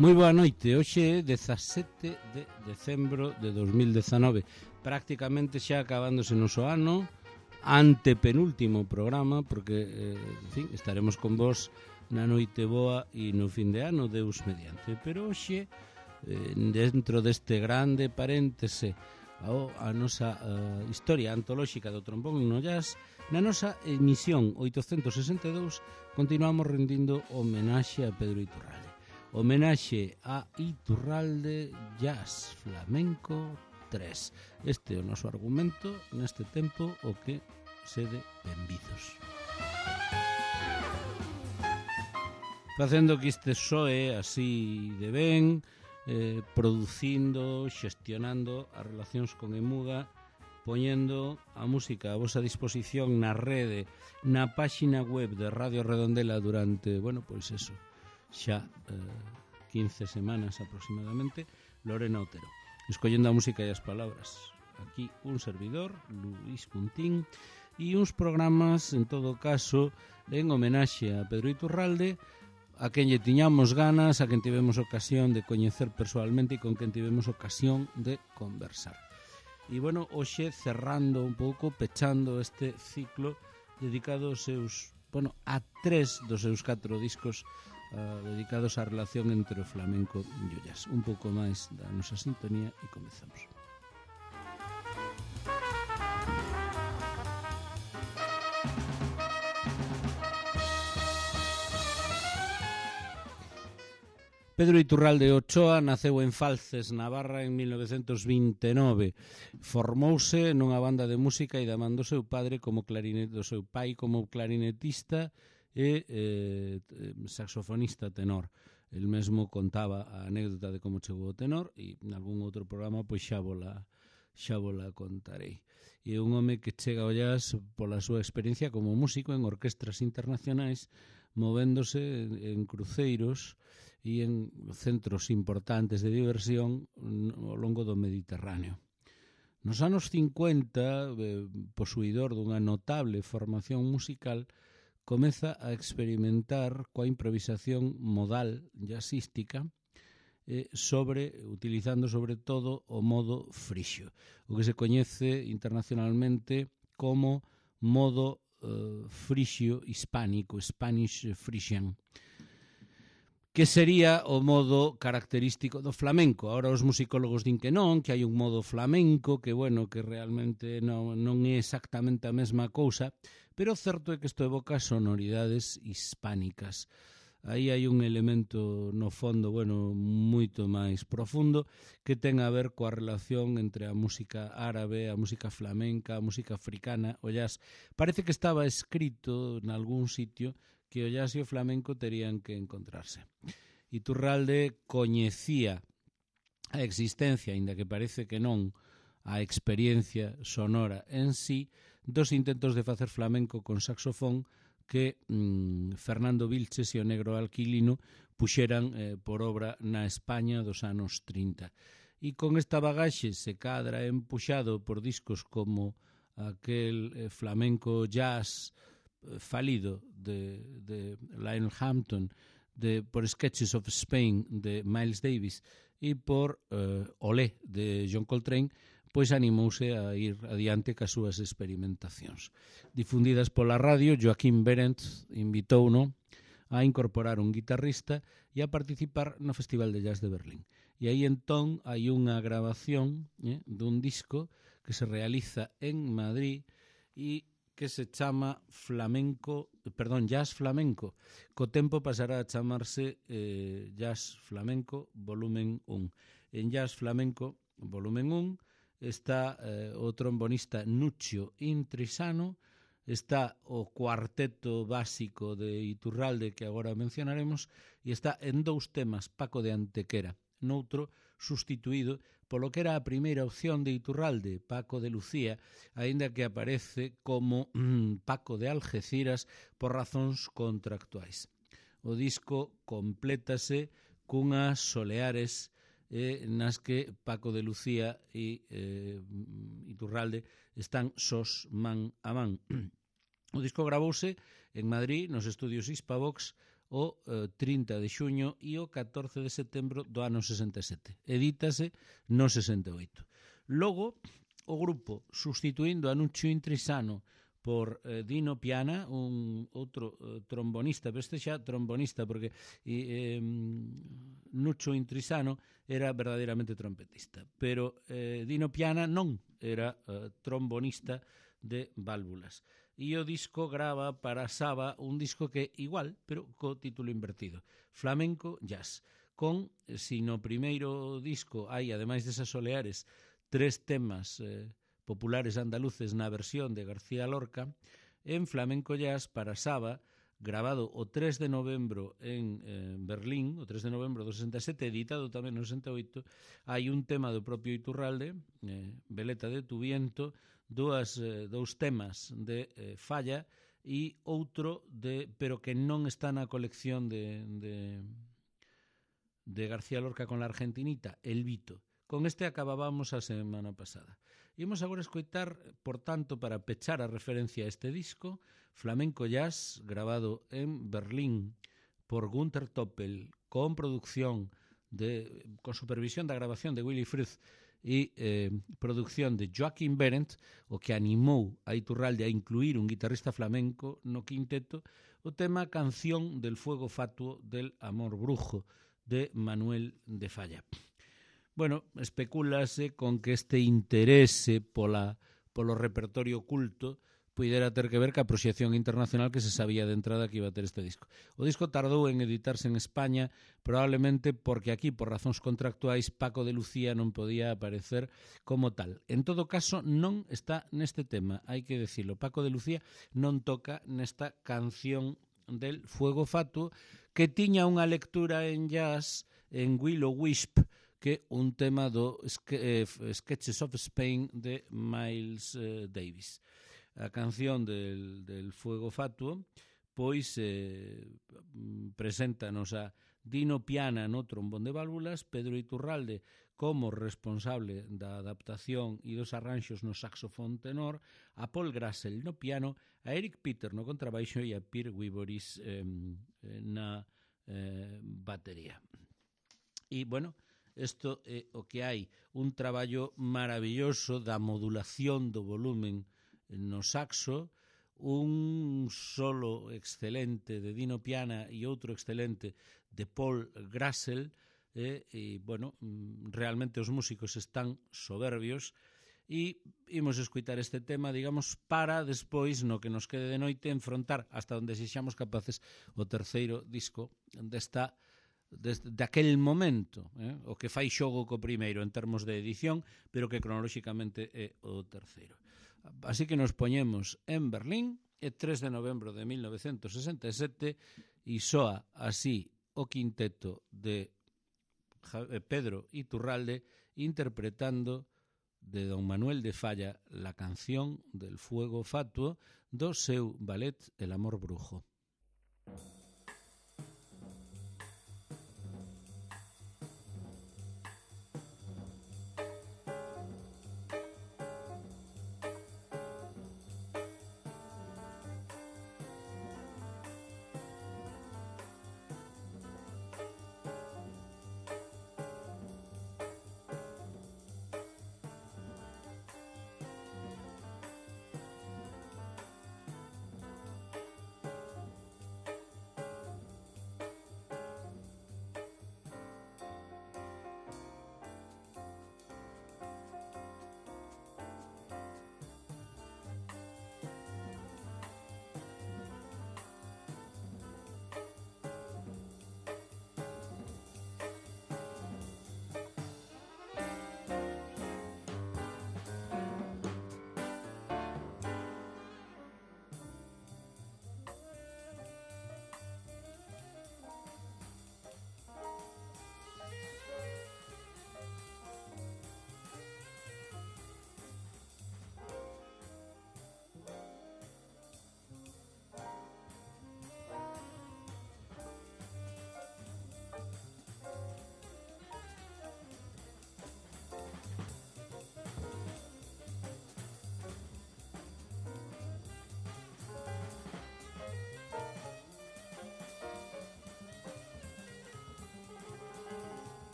Moi boa noite, hoxe é 17 de decembro de 2019, prácticamente xa acabándose o noso ano, antepenúltimo programa, porque, en fin, estaremos con vos na noite boa e no fin de ano, Deus mediante. Pero hoxe, dentro deste grande paréntese a nosa historia antolóxica do trombón no jazz, na nosa emisión 862 continuamos rendindo homenaxe a Pedro Iturralde. Homenaxe a Iturralde Jazz Flamenco 3. Este é o noso argumento neste tempo o que sede benvidos. Facendo que este soe así de ben, producindo, xestionando as relacións con Emuga, poñendo a música a vosa disposición na rede, na páxina web de Radio Redondela durante, bueno, pois eso, xa 15 semanas aproximadamente, Lorena Otero, escollendo a música e as palabras. Aquí un servidor, Luis Puntín, e uns programas, en todo caso, en homenaxe a Pedro Iturralde, a quen lle tiñamos ganas, a quen tivemos ocasión de coñecer persoalmente e con quen tivemos ocasión de conversar. E, bueno, hoxe cerrando un pouco, pechando este ciclo dedicado aos seus, bueno, a 3 dos seus 4 discos dedicados á relación entre o flamenco e o jazz. Un pouco máis da nosa sintonía e comezamos. Pedro Iturralde Ochoa naceu en Falces, Navarra, en 1929. Formouse nunha banda de música e da man do seu padre como do seu pai como clarinetista e saxofonista tenor. El mesmo contaba a anécdota de como chegou o tenor e en algún outro programa pois xa vola contarei. E é un home que chega ao jazz pola súa experiencia como músico en orquestras internacionais, movéndose en cruceiros e en centros importantes de diversión ao longo do Mediterráneo. Nos anos 50, posuidor dunha notable formación musical, comeza a experimentar coa improvisación modal jazzística utilizando sobre todo o modo frixio, o que se coñece internacionalmente como modo frixio hispánico, Spanish Frisian, que sería o modo característico do flamenco. Ahora os musicólogos din que non, que hai un modo flamenco, que bueno, que realmente non é exactamente a mesma cousa, pero o certo é que isto evoca sonoridades hispánicas. Aí hai un elemento no fondo, bueno, moito máis profundo, que ten a ver coa relación entre a música árabe, a música flamenca, a música africana, o jazz. Parece que estaba escrito en algún sitio que o jazz e o flamenco terían que encontrarse. Iturralde coñecía a existencia, aínda que parece que non, a experiencia sonora en sí dos intentos de facer flamenco con saxofón que Fernando Vilches e o Negro Alquilino puxeran por obra na España dos anos 30. E con esta bagaxe se cadra empuxado por discos como aquel flamenco jazz falido de Lionel Hampton, por Sketches of Spain de Miles Davis e por Olé de John Coltrane, pois animouse a ir adiante cas súas experimentacións. Difundidas pola radio, Joaquín Berendt invitouno a incorporar un guitarrista e a participar no Festival de Jazz de Berlín. E aí entón hai unha grabación dun disco que se realiza en Madrid e que se chama Jazz Flamenco. Co tempo pasará a chamarse Jazz Flamenco Volumen 1. En Jazz Flamenco Volumen 1 está o trombonista Nuccio Intrisano, está o cuarteto básico de Iturralde que agora mencionaremos e está en 2 temas Paco de Antequera, noutro sustituído polo que era a primeira opción de Iturralde, Paco de Lucía, aínda que aparece como Paco de Algeciras por razóns contractuais. O disco complétase cunhas soleares nas que Paco de Lucía e Iturralde están sós man a man. O disco gravouse en Madrid, nos estudios Hispavox, o 30 de xuño e o 14 de setembro do ano 67. Edítase no 68. Logo, o grupo, substituindo a Nuccio Intrisano por Dino Piana, un outro trombonista, pero este xa trombonista, porque Nuccio Intrisano era verdadeiramente trompetista, pero Dino Piana non era trombonista de válvulas. E o disco grava para Saba un disco que igual, pero co título invertido, Flamenco Jazz, con, si no primeiro disco hai, ademais desas Soleares, 3 temas populares andaluces na versión de García Lorca, en Flamenco Jazz para Saba, grabado o 3 de novembro en Berlín, o 3 de novembro do 67, editado tamén no 68, hai un tema do propio Iturralde, Veleta de tu viento, dous temas de Falla e outro pero que non está na colección de García Lorca con la Argentinita, El Vito. Con este acabábamos a semana pasada. Imos agora escoitar, por tanto, para pechar a referencia a este disco, Flamenco Jazz, grabado en Berlín por Günther Toppel, con supervisión da grabación de Willy Frith e producción de Joachim Behrendt, o que animou a Iturralde a incluir un guitarrista flamenco no quinteto, o tema Canción del fuego fatuo del amor brujo, de Manuel de Falla. Bueno, especúlase con que este interese polo repertorio culto puidera ter que ver ca proxección internacional que se sabía de entrada que iba a ter este disco. O disco tardou en editarse en España, probablemente porque aquí, por razóns contractuais, Paco de Lucía non podía aparecer como tal. En todo caso, non está neste tema, hai que decirlo. Paco de Lucía non toca nesta canción del fuego fatuo, que tiña unha lectura en jazz en Will o Wisp, que un tema do Sketches of Spain de Miles Davis. A canción del fuego fatuo pois preséntanos a Dino Piana no trombón de válvulas, Pedro Iturralde como responsable da adaptación e dos arranxos no saxofón tenor, a Paul Grassel no piano, a Eric Peter no contrabaixo e a Pierre Wiboris na batería. E, bueno, isto é o que hai, un traballo maravilloso da modulación do volumen no saxo, un solo excelente de Dino Piana e outro excelente de Paul Grassel, e, bueno, realmente os músicos están soberbios, e imos escutar este tema, digamos, para despois, no que nos quede de noite, enfrontar hasta onde sexamos capaces o terceiro disco daquel momento, o que fai xogo co primeiro en termos de edición, pero que cronolóxicamente é o terceiro. Así que nos poñemos en Berlín, é 3 de novembro de 1967, e soa así o quinteto de Pedro Iturralde interpretando de don Manuel de Falla la canción del fuego fatuo do seu ballet El amor brujo.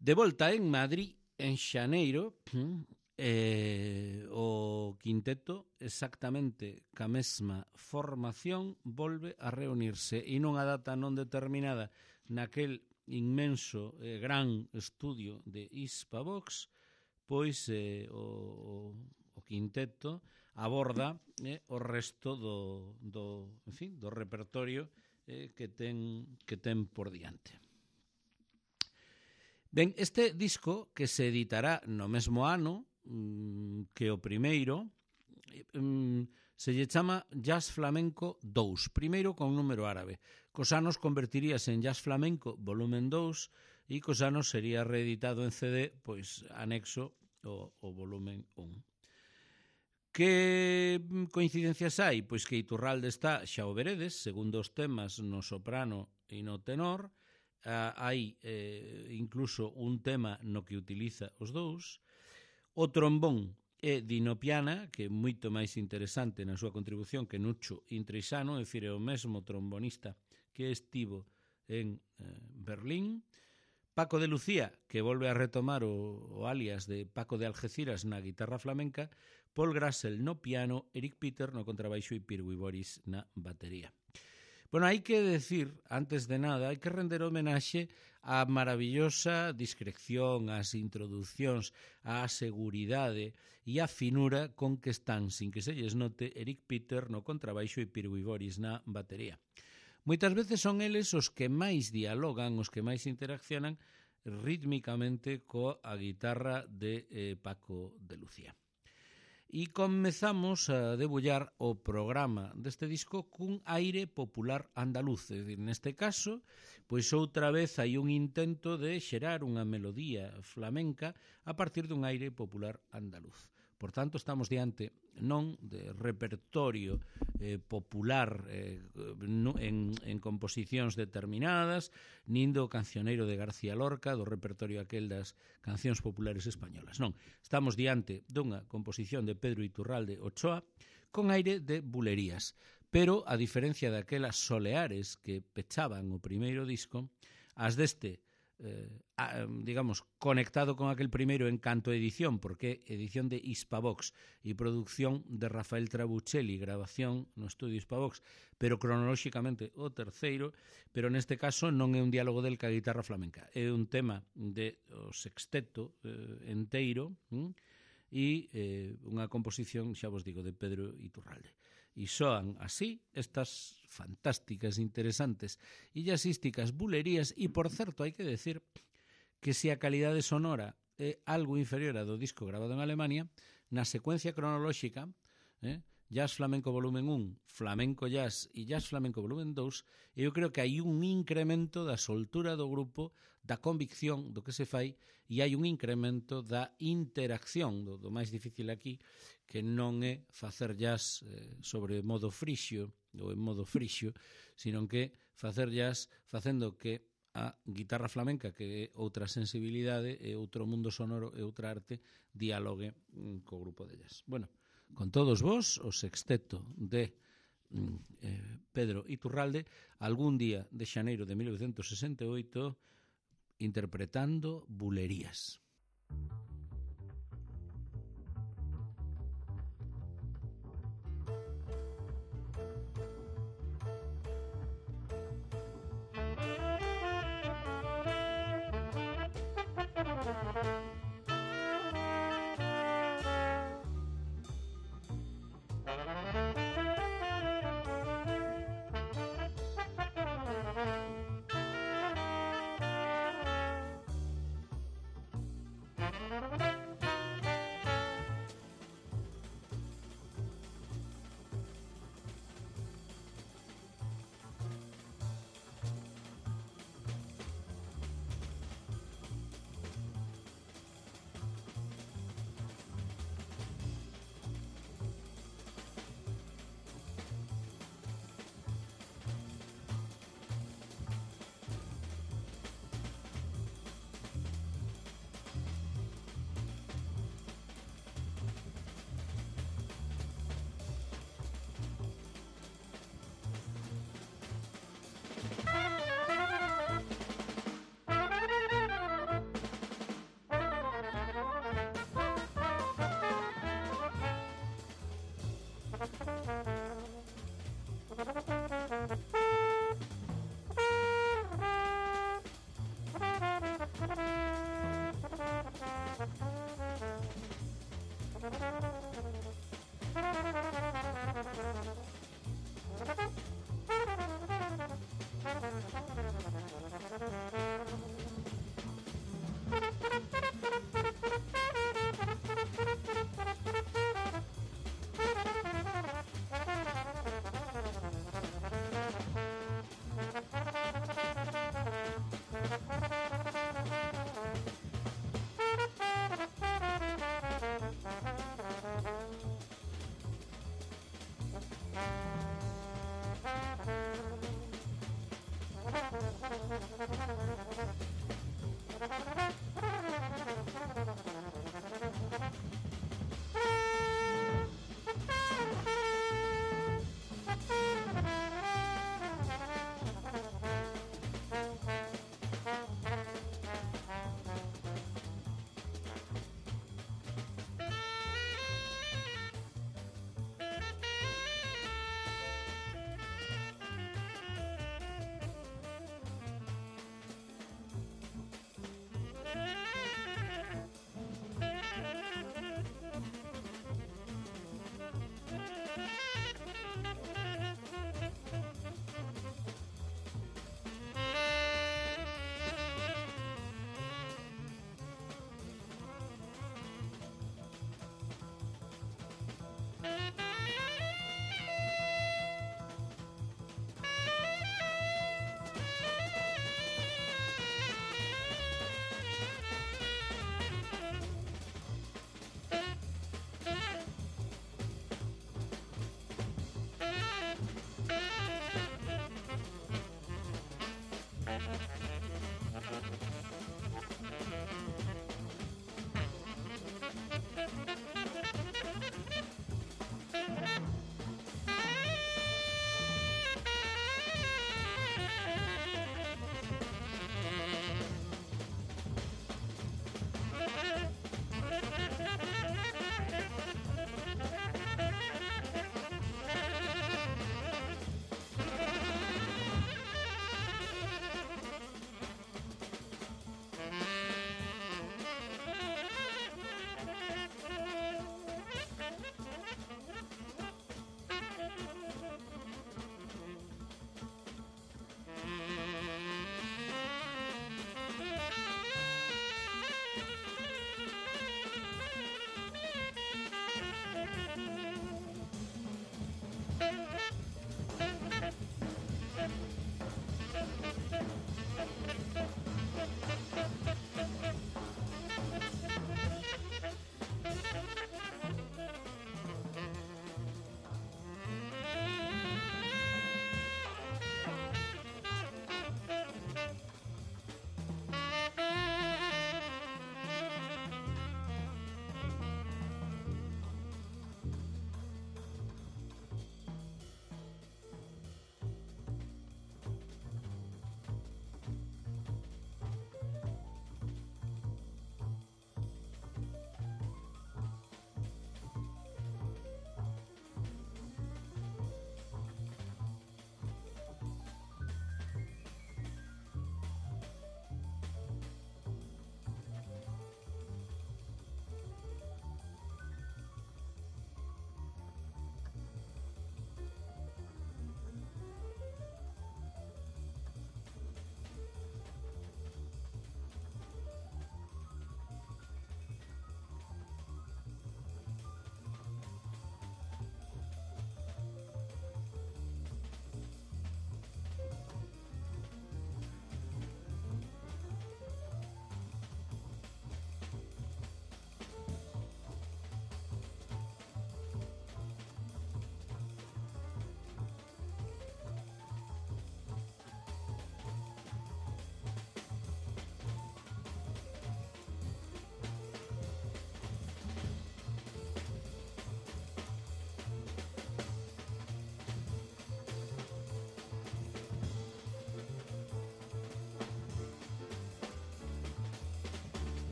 De volta en Madrid, en xaneiro, o quinteto exactamente ca mesma formación volve a reunirse e nunha data non determinada naquel inmenso gran estudio de Hispavox, pois o quinteto aborda o resto do repertorio que ten por diante. Ben, este disco que se editará no mesmo ano que o primeiro se lle chama Jazz Flamenco 2, primeiro con número árabe. Cos anos convertiríase en Jazz Flamenco volumen 2 e cos anos sería reeditado en CD, pois anexo o volumen 1. Que coincidencias hai? Pois que Iturralde está, xa o veredes, segundo os temas no soprano e no tenor. Hai incluso un tema no que utiliza os dous. O trombón é Dino Piana, que é moito máis interesante na súa contribución que Nucho Intrisano, é dicir, é o mesmo trombonista que estivo en Berlín. Paco de Lucía, que volve a retomar o alias de Paco de Algeciras na guitarra flamenca, Paul Grassel no piano, Eric Peter no contrabaixo e Pirwi Boris na batería. Bueno, hai que decir, antes de nada, hai que render homenaxe á maravillosa discreción, ás introducións, á seguridade e á finura con que están, sin que se lles note, Eric Peter no contrabaixo e Pirwi Boris na batería. Moitas veces son eles os que máis dialogan, os que máis interaccionan rítmicamente coa guitarra de Paco de Lucía. E comezamos a debullar o programa deste disco cun aire popular andaluz. É dicir, neste caso, pois outra vez hai un intento de xerar unha melodía flamenca a partir dun aire popular andaluz. Por tanto, estamos diante non de repertorio popular en composicións determinadas, nin do cancioneiro de García Lorca, do repertorio aquel das cancións populares españolas. Non, estamos diante dunha composición de Pedro Iturralde Ochoa con aire de bulerías. Pero, a diferencia daquelas soleares que pechaban o primeiro disco, as deste digamos, conectado con aquel primeiro en canto a edición, porque é edición de Hispavox e producción de Rafael Trabuccelli, grabación no estudio Hispavox, pero cronolóxicamente o terceiro, pero neste caso non é un diálogo del ca guitarra flamenca, é un tema de o sexteto enteiro e unha composición, xa vos digo, de Pedro Iturralde. E soan así estas fantásticas, interesantes e jazzísticas bulerías. E, por certo, hai que decir que se a calidade sonora é algo inferior a do disco grabado en Alemania, na secuencia cronolóxica, Jazz Flamenco volumen 1, Flamenco Jazz e Jazz Flamenco volumen 2, eu creo que hai un incremento da soltura do grupo, da convicción do que se fai, e hai un incremento da interacción, do máis difícil aquí, que non é facer jazz sobre modo frixio, ou en modo frixio, sino que facer jazz facendo que a guitarra flamenca, que é outra sensibilidade, é outro mundo sonoro, é outra arte, dialogue co grupo de jazz. Bueno, con todos vos, o sexteto de Pedro Iturralde, algún día de xaneiro de 1968, interpretando bulerías.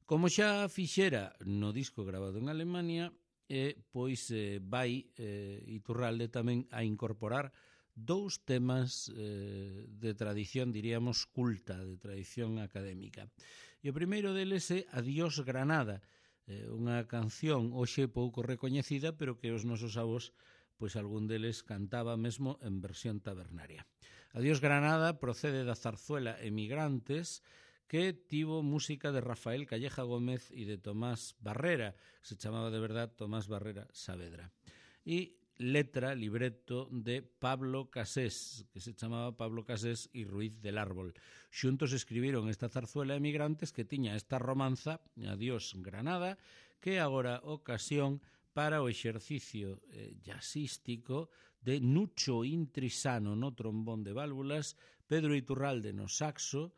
Como xa fixera no disco grabado en Alemania, pois vai Iturralde tamén a incorporar dous temas de tradición, diríamos, culta, de tradición académica. E o primeiro deles é Adiós Granada, unha canción hoxe pouco recoñecida, pero que os nosos avós, pois algún deles cantaba mesmo en versión tabernaria. Adiós Granada procede da zarzuela Emigrantes, que tivo música de Rafael Calleja Gómez e de Tomás Barrera, que se chamaba de verdad Tomás Barrera Saavedra. E letra, libreto de Pablo Casés, que se chamaba Pablo Casés e Ruiz del Árbol. Xuntos escribiron esta zarzuela Emigrantes que tiña esta romanza, Adiós Granada, que agora ocasión para o exercicio jazzístico de Nucho Intrisano no trombón de válvulas, Pedro Iturralde no saxo,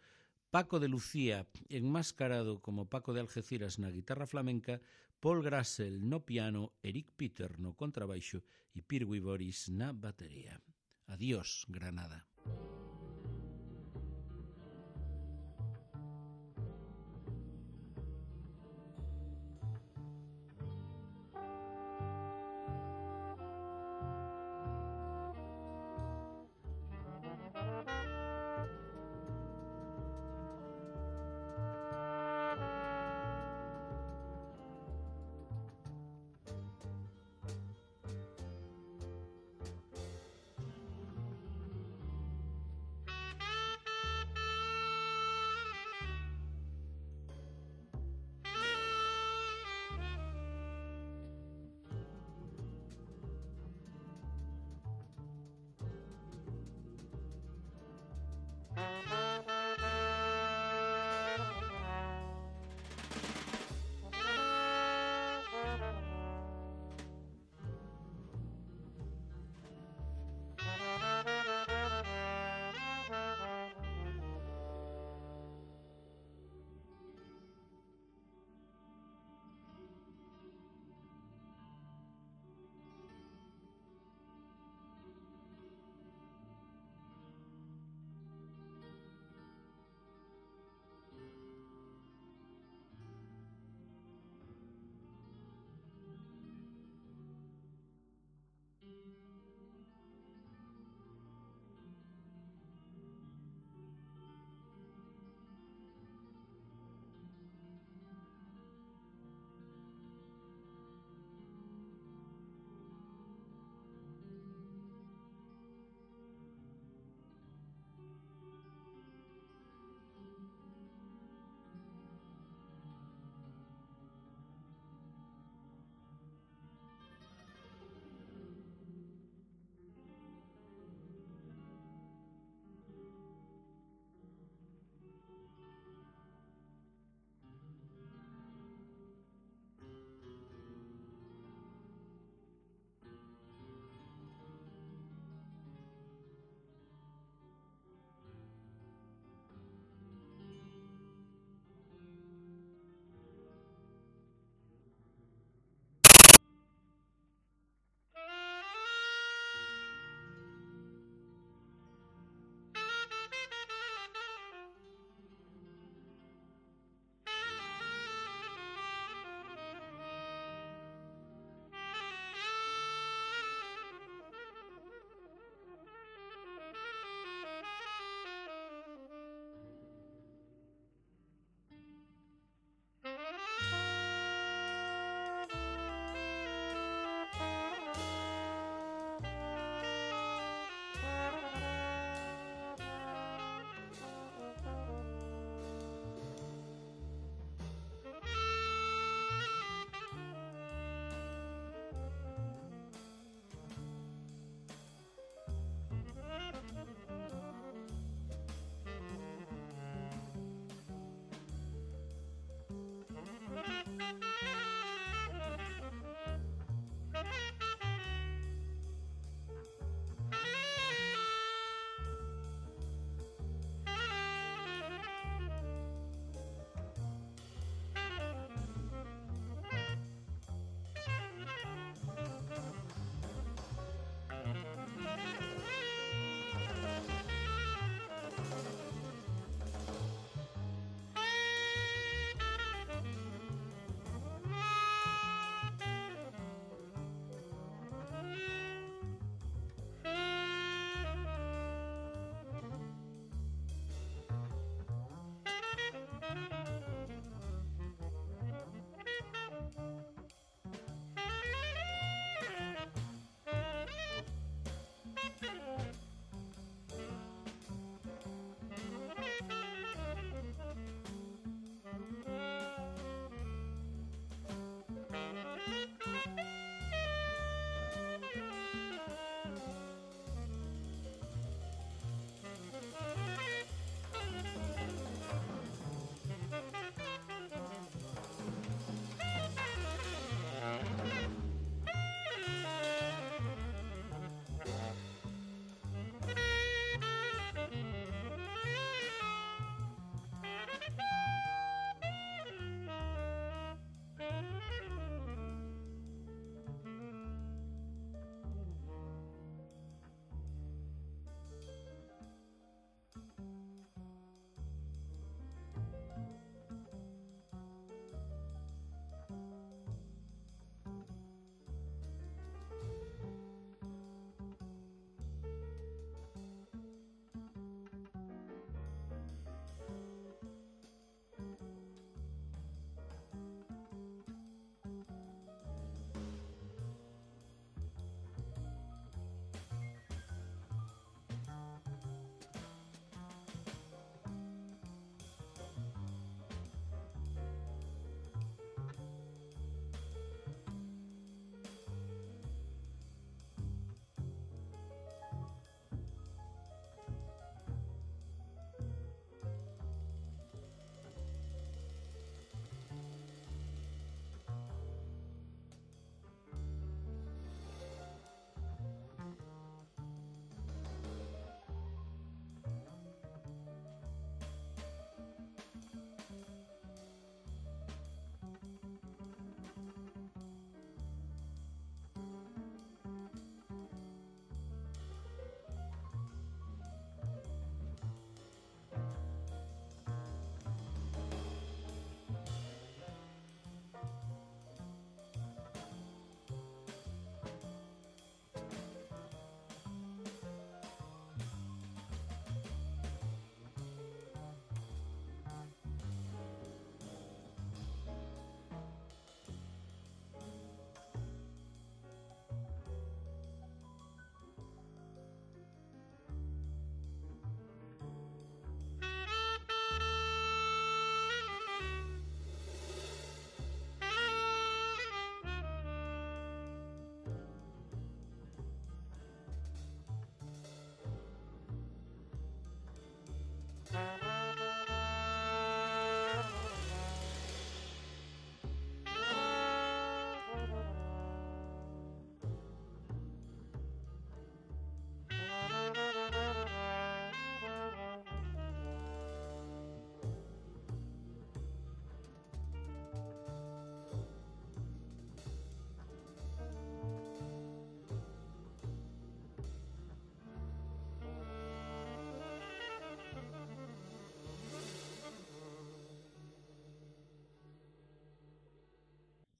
Paco de Lucía enmascarado como Paco de Algeciras na guitarra flamenca, Paul Grassel no piano, Eric Peter no contrabaixo e Pirwi Boris na batería. Adiós, Granada.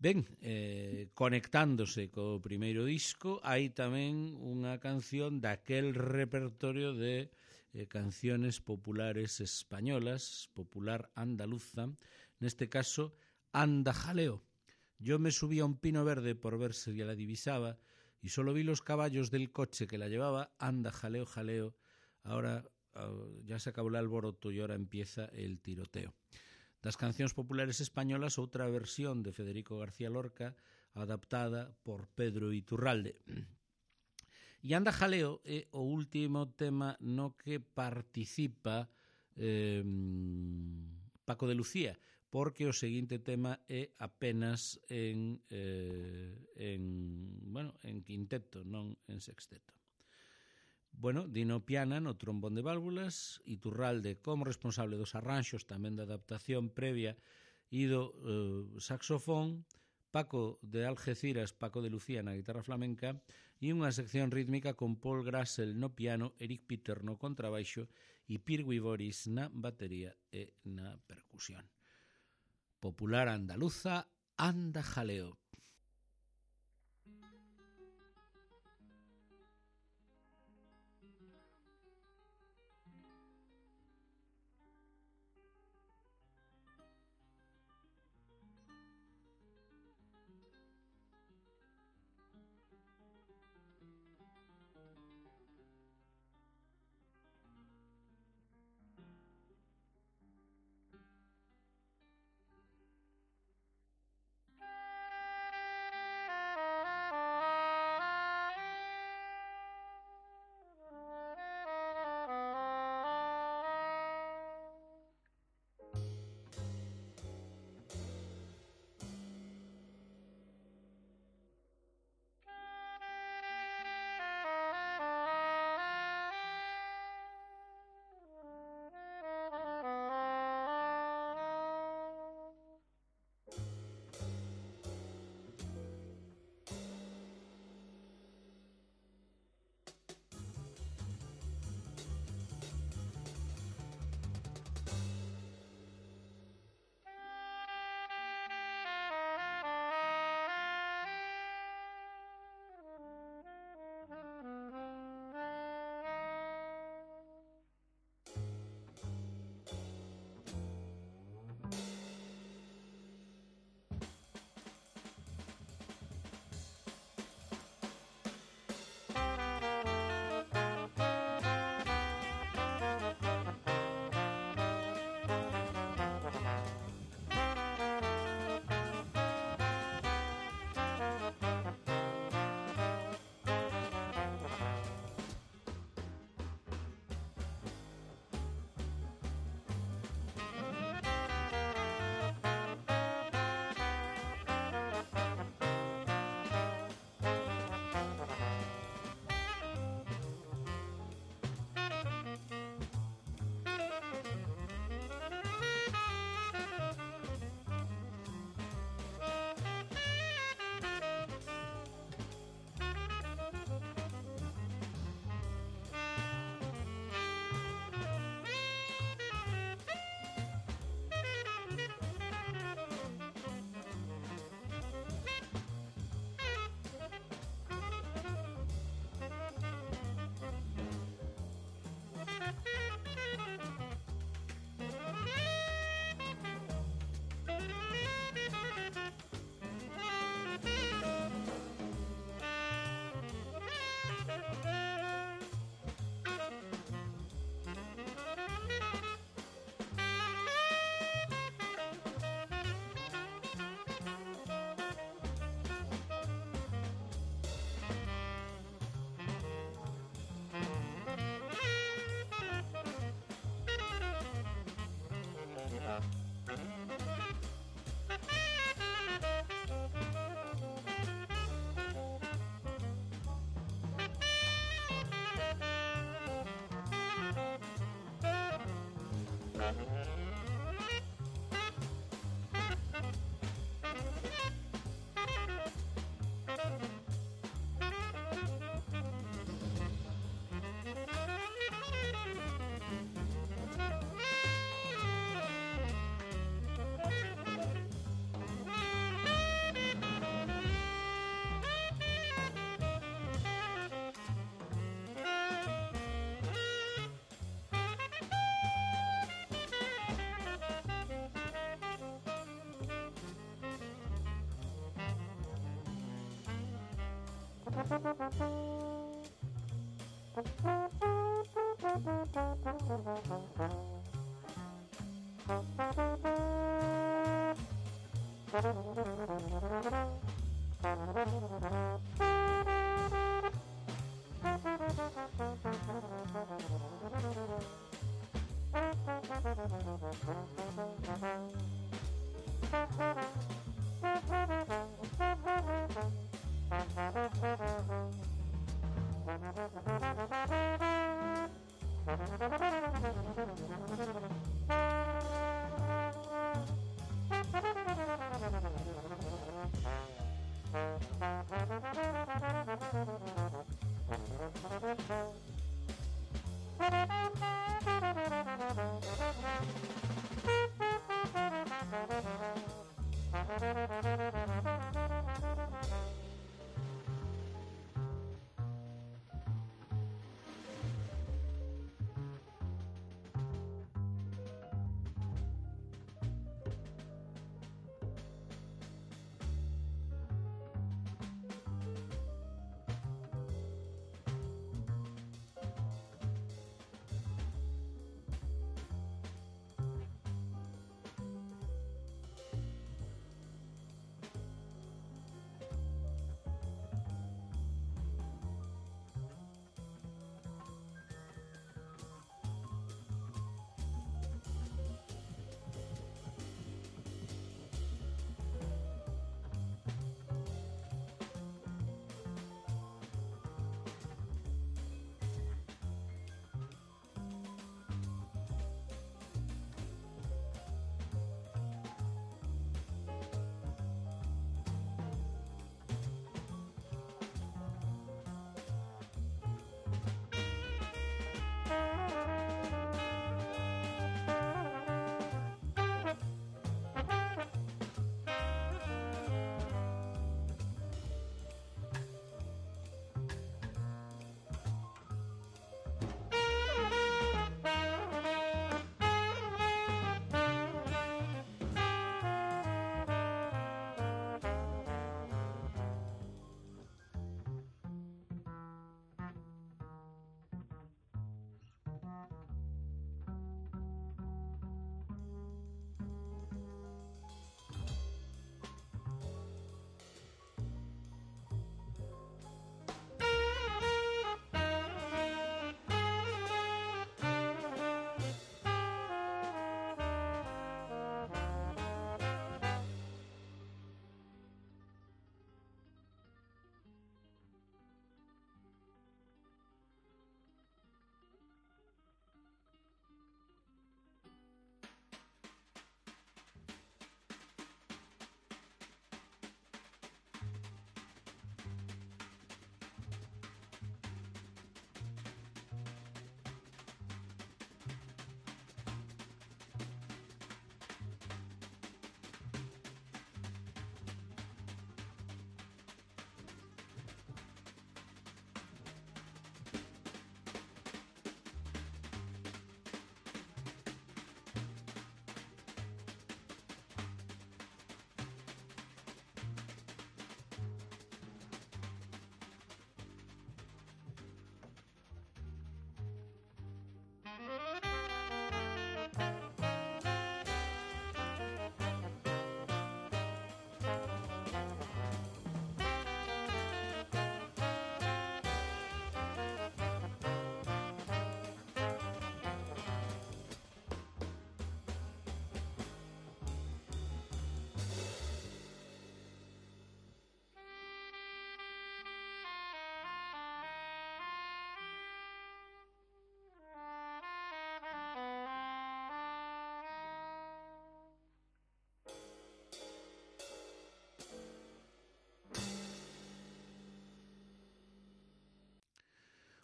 Ben, conectándose co primeiro disco, hai tamén unha canción daquel repertorio de canciones populares españolas, popular andaluza, neste caso, Anda Jaleo. Yo me subí a un pino verde por ver si la divisaba y solo vi los caballos del coche que la llevaba. Anda jaleo, jaleo. Ahora ya se acabó el alboroto y ahora empieza el tiroteo. Das cancións populares españolas, outra versión de Federico García Lorca adaptada por Pedro Iturralde. E Anda Jaleo é o último tema no que participa Paco de Lucía, porque o seguinte tema é apenas en quinteto, non en sexteto. Bueno, Dino Piana no trombón de válvulas, Iturralde como responsable dos arranxos, tamén da adaptación previa, e do saxofón, Paco de Algeciras, Paco de Lucía na guitarra flamenca, e unha sección rítmica con Paul Grassel no piano, Eric Peter no contrabaixo e Pirwi Boris na batería e na percusión. Popular andaluza, Anda Jaleo.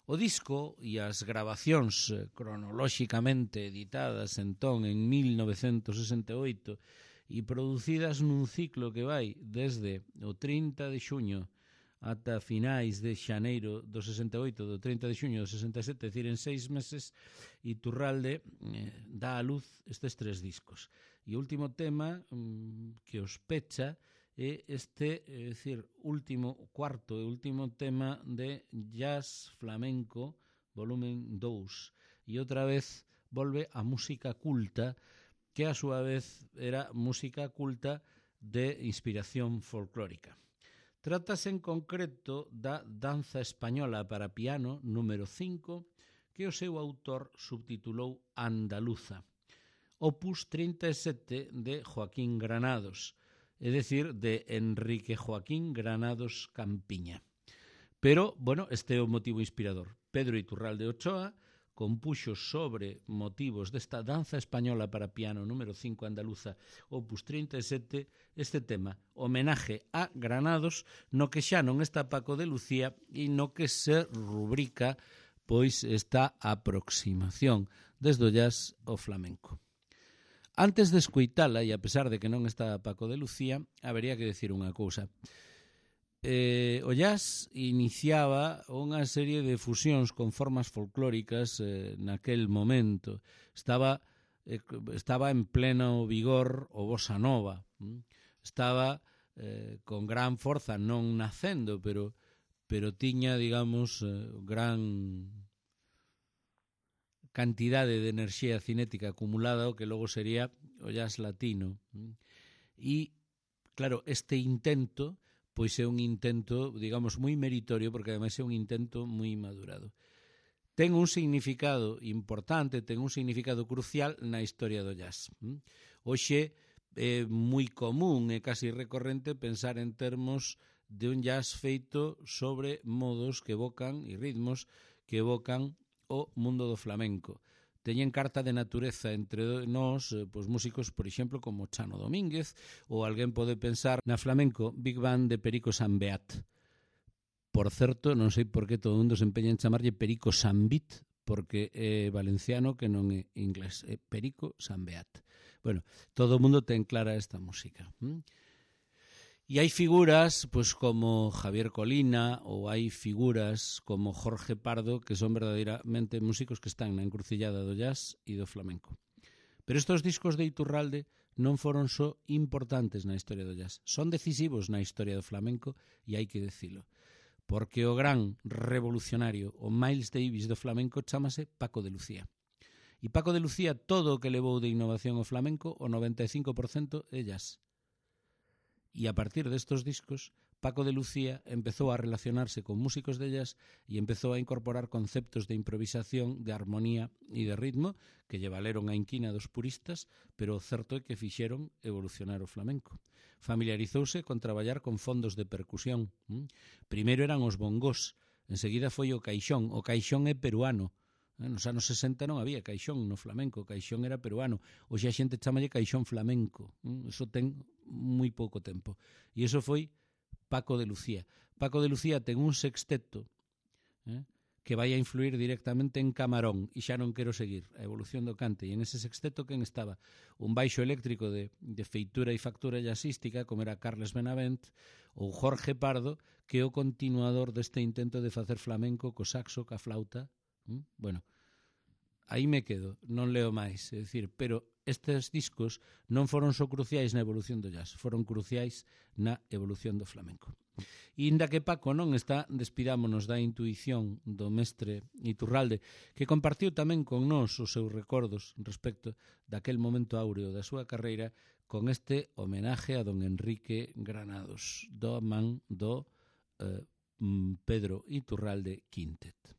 O disco e as grabacións cronolóxicamente editadas entón en 1968 e producidas nun ciclo que vai desde o 30 de xuño ata finais de xaneiro do 68, do 30 de xuño do 67, é dicir, en 6 meses, Iturralde dá a luz estes 3 discos. E o último tema que os pecha é este, é dicir, cuarto e último tema de Jazz Flamenco, volumen 2, e outra vez volve a música culta, que a súa vez era música culta de inspiración folclórica. Trátase en concreto da Danza Española para piano número 5, que o seu autor subtitulou Andaluza, opus 37 de Joaquín Granados, é dicir, de Enrique Joaquín Granados Campiña. Pero, bueno, este é o motivo inspirador. Pedro Iturralde Ochoa compuxo sobre motivos desta Danza Española para piano número 5 Andaluza, opus 37, este tema, homenaje a Granados, no que xa non está Paco de Lucía e no que se rubrica pois esta aproximación desde o jazz ao flamenco. Antes de escoitala, e a pesar de que non está Paco de Lucía, habería que decir unha cousa. O jazz iniciaba unha serie de fusións con formas folclóricas naquel momento. Estaba en pleno vigor o bossa nova. Estaba con gran forza, non nacendo, pero tiña, digamos, gran cantidade de enerxía cinética acumulada, o que logo sería o jazz latino. E, claro, este intento pois é un intento, digamos, moi meritorio, porque ademais é un intento moi madurado. Ten un significado importante, ten un significado crucial na historia do jazz. Hoxe é moi común, é casi recorrente pensar en termos de un jazz feito sobre modos que evocan e ritmos que evocan o mundo do flamenco. Teñen carta de natureza entre nós, pois músicos, por exemplo, como Chano Domínguez, ou alguén pode pensar na flamenco Big Band de Perico Sambeat. Por certo, non sei por que todo o mundo se empeña en chamarlle Perico Sambit, porque é valenciano que non é inglés, é Perico Sambeat. Bueno, todo o mundo ten clara esta música. E hai figuras pois como Javier Colina ou hai figuras como Jorge Pardo que son verdadeiramente músicos que están na encrucillada do jazz e do flamenco. Pero estes discos de Iturralde non foron só importantes na historia do jazz, son decisivos na historia do flamenco e hai que dicilo, porque o gran revolucionario, o Miles Davis do flamenco, chámase Paco de Lucía. E Paco de Lucía, todo o que levou de innovación ao flamenco, o 95% é jazz. E a partir destos discos, Paco de Lucía empezou a relacionarse con músicos de jazz e empezou a incorporar conceptos de improvisación, de armonía e de ritmo que lle valeron a inquina dos puristas, pero o certo é que fixeron evolucionar o flamenco. Familiarizouse con traballar con fondos de percusión. Primeiro eran os bongós, enseguida foi o caixón. O caixón é peruano. Nos anos 60 non había caixón no flamenco, o caixón era peruano. Hoxe a xente chamalle caixón flamenco. Iso ten moi pouco tempo. E iso foi Paco de Lucía. Paco de Lucía ten un sexteto que vai a influir directamente en Camarón, e xa non quero seguir a evolución do cante. E en ese sexteto quen estaba? Un baixo eléctrico de feitura e factura jazzística, como era Carles Benavent, ou Jorge Pardo, que é o continuador deste intento de facer flamenco co saxo, ca flauta. Bueno, aí me quedo, non leo máis, é dicir, pero estes discos non foron só cruciais na evolución do jazz, foron cruciais na evolución do flamenco. E inda que Paco non está, despidámonos da intuición do mestre Iturralde, que compartiu tamén con nós os seus recordos respecto daquel momento áureo da súa carreira con este homenaje a don Enrique Granados, do man do Pedro Iturralde Quintet.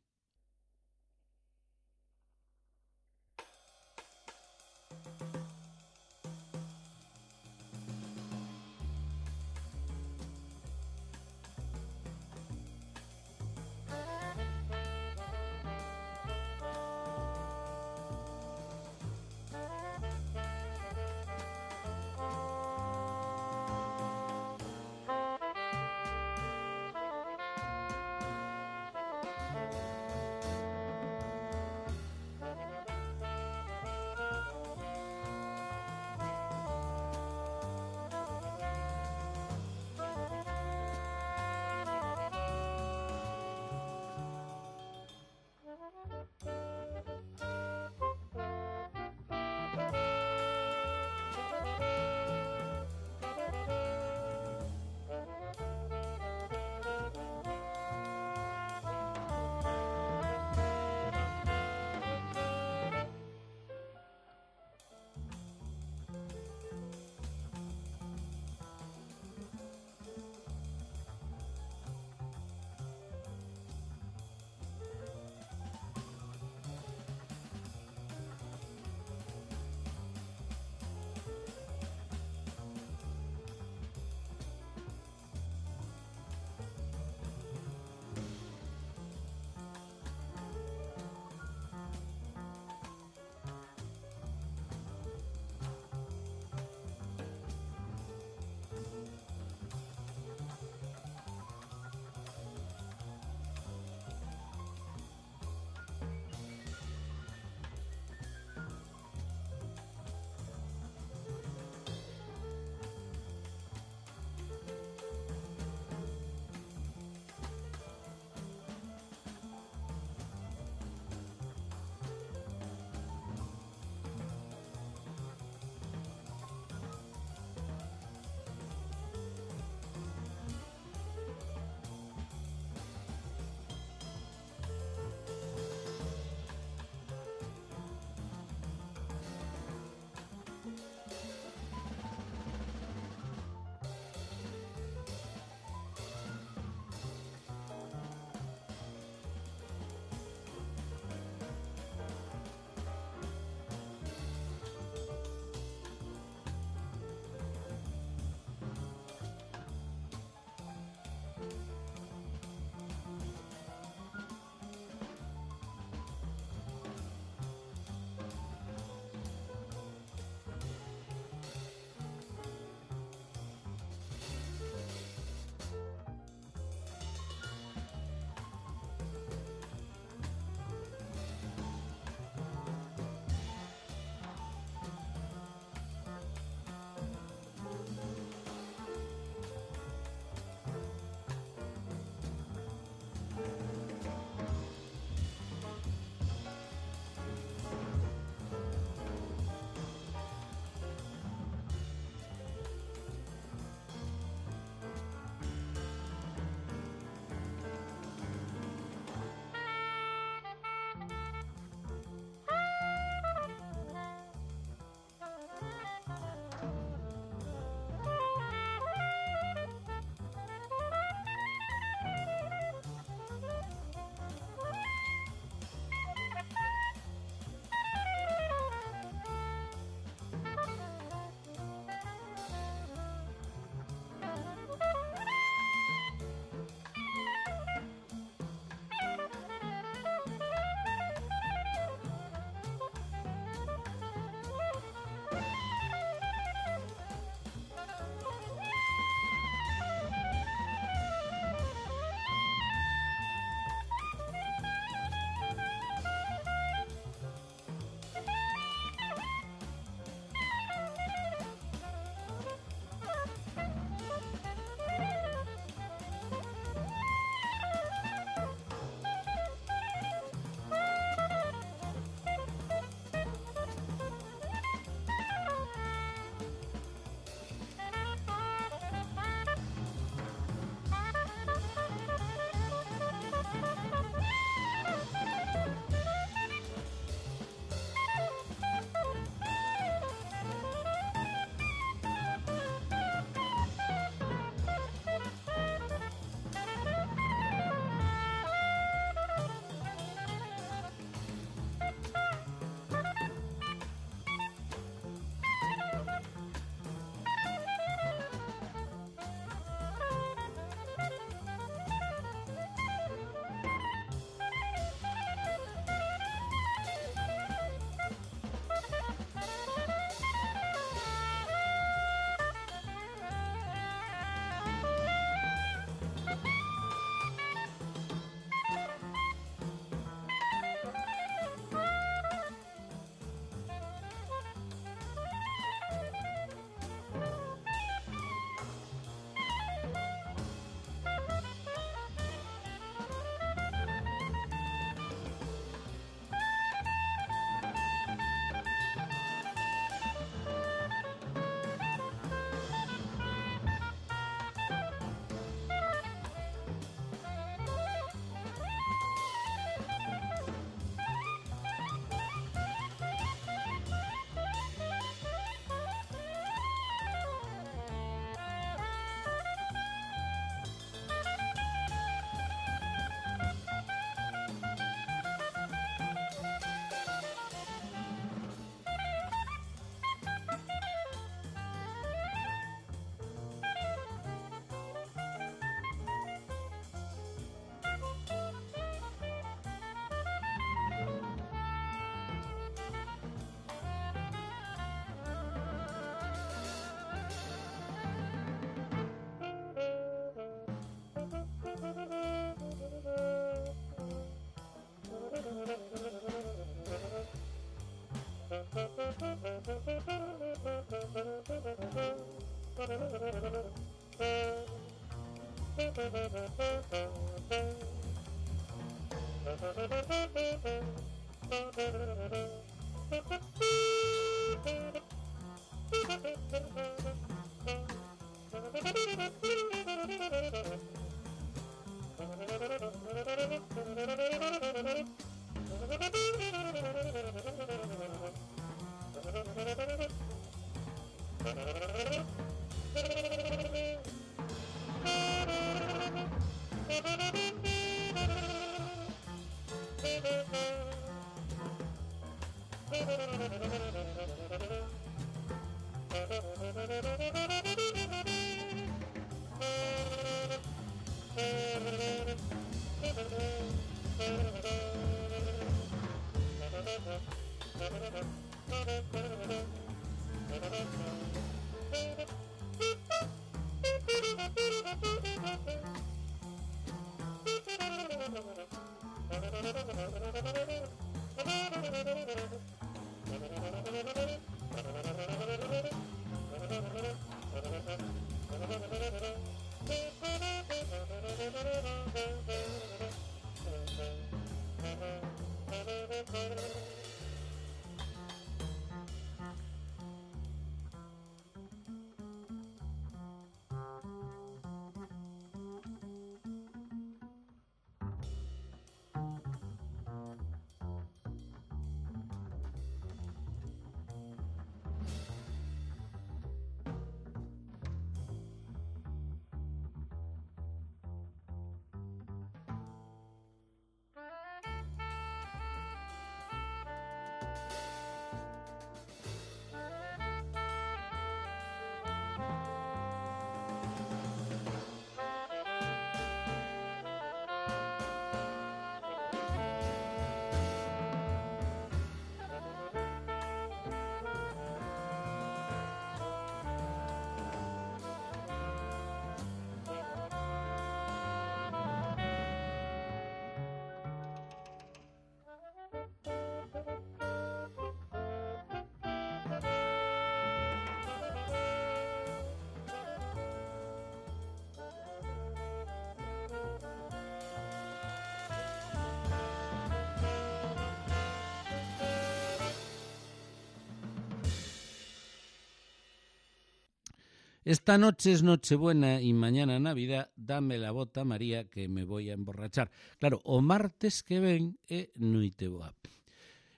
Esta noche es Nochebuena y mañana Navidad, dame la bota María que me voy a emborrachar. Claro, o martes que ven é Noiteboa.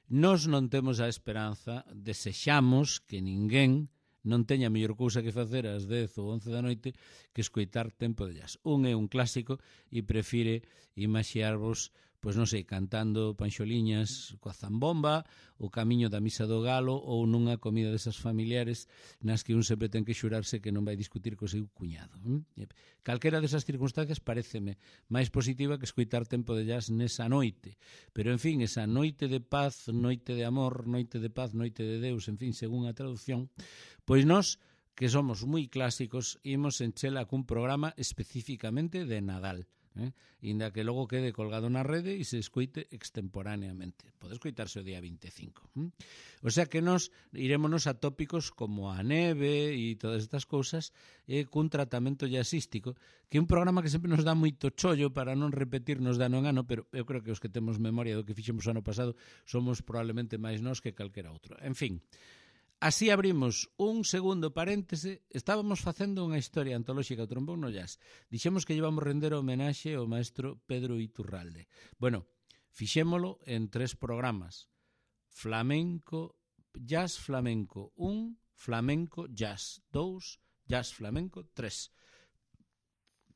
Nós non temos a esperanza, desexamos que ninguén non teña mellor cousa que facer ás 10 ou 11 da noite que escoitar Tempo de Jazz. Un é un clásico e prefire imaxiarvos, pois non sei, cantando panxoliñas coa zambomba, o camiño da misa do galo ou nunha comida desas familiares nas que un sempre ten que xurarse que non vai discutir co seu cuñado. Calquera desas circunstancias pareceme máis positiva que escoitar Tempo de Jazz nesa noite. Pero, en fin, esa noite de paz, noite de amor, noite de paz, noite de Deus, en fin, según a traducción, pois nós, que somos moi clásicos, imos enchela cun programa especificamente de Nadal. Inda que logo quede colgado na rede e se escoite extemporáneamente. Pode escoitarse o día 25. O sea que nós irémonos a tópicos como a neve e todas estas cousas cun tratamento jazzístico, que é un programa que sempre nos dá moito chollo para non repetirnos de ano en ano, pero eu creo que os que temos memoria do que fixemos o ano pasado somos probablemente máis nós que calquera outro. En fin, así abrimos un segundo paréntese. Estábamos facendo unha historia antolóxica do trombón no jazz. Dixemos que llevamos render homenaxe ao maestro Pedro Iturralde. Bueno, fixémolo en 3 programas. Flamenco, jazz flamenco 1, flamenco jazz 2, jazz flamenco 3.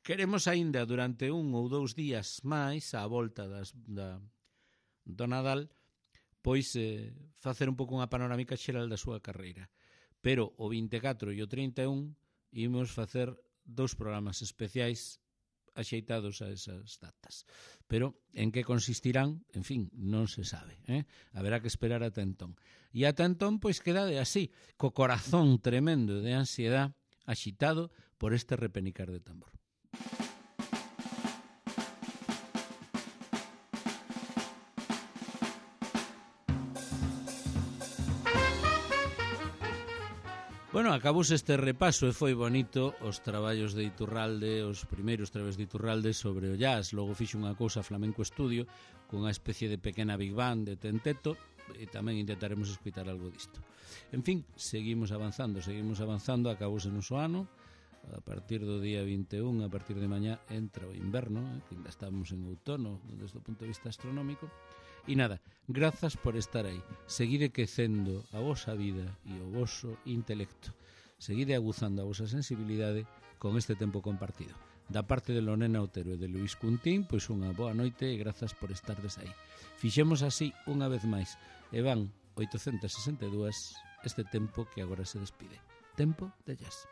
Queremos aínda durante 1 ou 2 días máis, á volta do Nadal, pois facer un pouco unha panorámica xeral da súa carreira. Pero o 24 e o 31 imos facer 2 programas especiais axeitados a esas datas. Pero en que consistirán, en fin, non se sabe. Haberá que esperar ata entón. E ata entón, pois quedade así, co corazón tremendo de ansiedade, axitado por este repenicar de tambor. Bueno, acabouse este repaso e foi bonito os traballos de Iturralde, os primeiros traballos de Iturralde sobre o jazz. Logo fixo unha cousa Flamenco Estudio cunha especie de pequena Big Band de Tenteto e tamén intentaremos escutar algo disto. En fin, seguimos avanzando, acabouse o noso ano. A partir do día 21, a partir de mañá, entra o inverno, que ainda estamos en outono desde o punto de vista astronómico. E nada, grazas por estar aí. Seguide quecendo a vosa vida e o voso intelecto. Seguide aguzando a vosa sensibilidade con este tempo compartido. Da parte de Lorena Otero e de Luís Cuntín, pois unha boa noite e grazas por estardes aí. Fixemos así unha vez máis e van 862 este tempo que agora se despide. Tempo de jazz.